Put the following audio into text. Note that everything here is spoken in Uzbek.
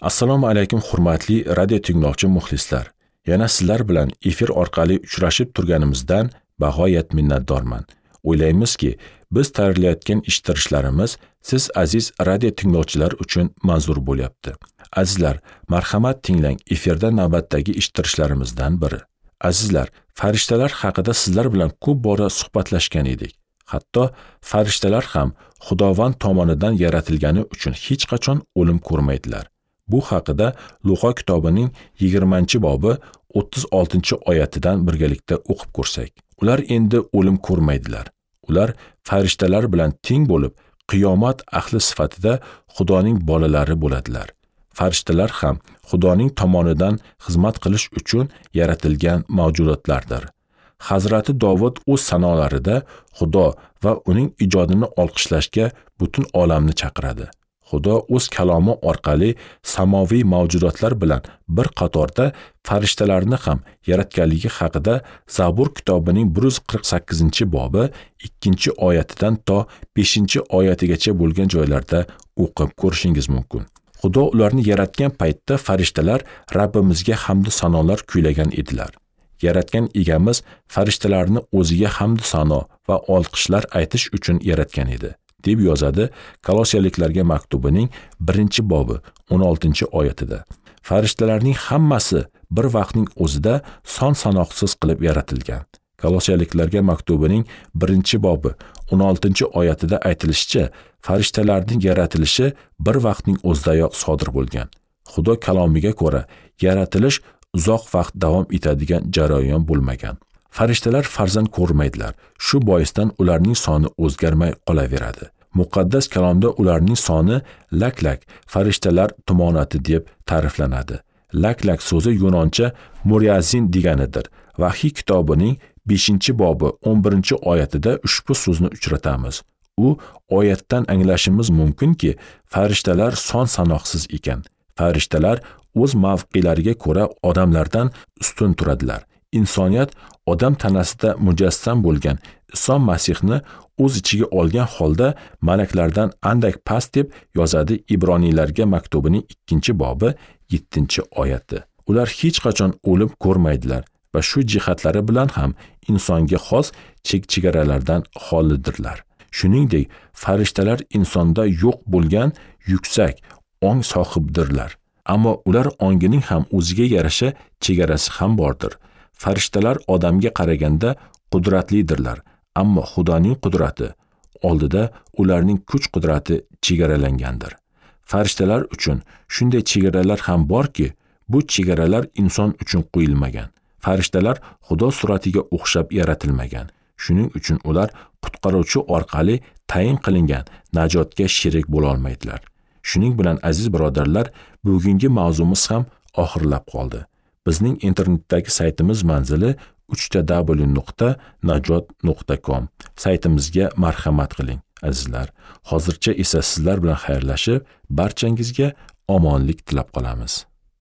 Assalomu alaykum hurmatli radio tinglovchi muxlislar. Yana sizlar bilan efir orqali uchrashib turganimizdan bag'oyat minnatdorman. O'ylaymizki, biz tayyorlayotgan eshittirishlarimiz siz aziz radio tinglovchilar uchun manzur bo'lyapti. Azizlar, marhamat tinglang, efirda navbatdagi eshittirishlarimizdan biri. Azizlar, farishtalar haqida sizlar bilan ko'p bora suhbatlashgan edik. Hatto farishtalar ham Xudovand tomonidan yaratilgani uchun hech qachon o'lim ko'rmaydilar. Bu haqida Luqa kitobining 20-bobi 36-oyatidan birgalikda o'qib ko'rsak. Ular endi o'lim ko'rmaydilar. Ular farishtalar bilan teng bo'lib, qiyomat ahli sifatida Xudoning bolalari bo'ladilar. Farishtalar ham Xudoning tomonidan xizmat qilish uchun yaratilgan mavjudotlardir. Hazrati Dovud o'z sanolarida Xudo va uning ijodini olqishlashga butun olamni chaqiradi. Xudo o'z kalomi orqali samoviy mavjudotlar bilan bir qatorda farishtalarni ham yaratganligi haqida Zabur kitobining 148-bobi 2-oyatidan to 5-oyatigacha bo'lgan joylarda o'qib ko'rishingiz mumkin. Xudo ularni yaratgan paytda farishtalar Rabbimizga hamd sanolar kuylagan edilar. Yaratgan egamiz farishtalarni o'ziga hamd sano va olqishlar aytish uchun yaratgan edi, deb yozadi Kolosiyaliklarga maktubining 1-bobi 16-oyatida. Farishtalarning hammasi bir vaqtning o'zida son sanoqsiz qilib yaratilgan. Kolosiyaliklarga maktubining 1-bobi 16-oyatida aytilishicha, farishtalarning yaratilishi bir vaqtning o'zidayoq sodir bo'lgan. Xudo kalomiga ko'ra, yaratilish uzoq vaqt davom etadigan jarayon bo'lmagan. Farishtalar farzand ko'rmaydilar. Shu boisdan ularning soni o'zgarmay qolaveradi. Muqaddas kalomda ularning soni lak-lak farishtalar tumonati deb ta'riflanadi. Lak-lak so'zi yunoncha muriazin deganidir. Vahiy kitobining 5-bobi 11-oyatida ushbu so'zni uchratamiz. U oyatdan anglashimiz mumkinki, farishtalar son sanoqsiz ekan. Farishtalar o'z mavqelariga ko'ra odamlardan ustun turadilar. Insoniyat odam tanasida mujassam bo'lgan Iso Masihni o'z ichiga olgan holda malaklardan andak past deb yozadi Ibroniylarga maktubining 2-bobi 7-oyati. Ular hech qachon o'lim ko'rmaydilar va shu jihatlari bilan ham insonga xos chek-chegaralardan xolidirlar. Shuningdek, farishtalar insonda yo'q bo'lgan yuksak ong sohibidirlar. Ammo ular ongining ham o'ziga yarasha chegarasi ham bordir. Farishtalar odamga qaraganda qudratlidirlar, ammo Xudoning qudrati oldida ularning kuch-qudrati chegaralangandir. Farishtalar uchun shunday chegaralar ham borki, bu chegaralar inson uchun qo'yilmagan. Farishtalar Xudo suratiga o'xshab yaratilmagan. Shuning uchun ular qutqaruvchi orqali tayin qilingan najotga sherik bo'la olmaydilar. Shuning bilan aziz birodarlar, bugungi mavzumiz ham oxirlab qoldi. Bizning internetdagi saytimiz manzili www.najot.com. Saytimizga marhamat qiling, azizlar. Hozircha esa sizlar bilan xayrlashib, barchangizga omonlik tilab qolamiz.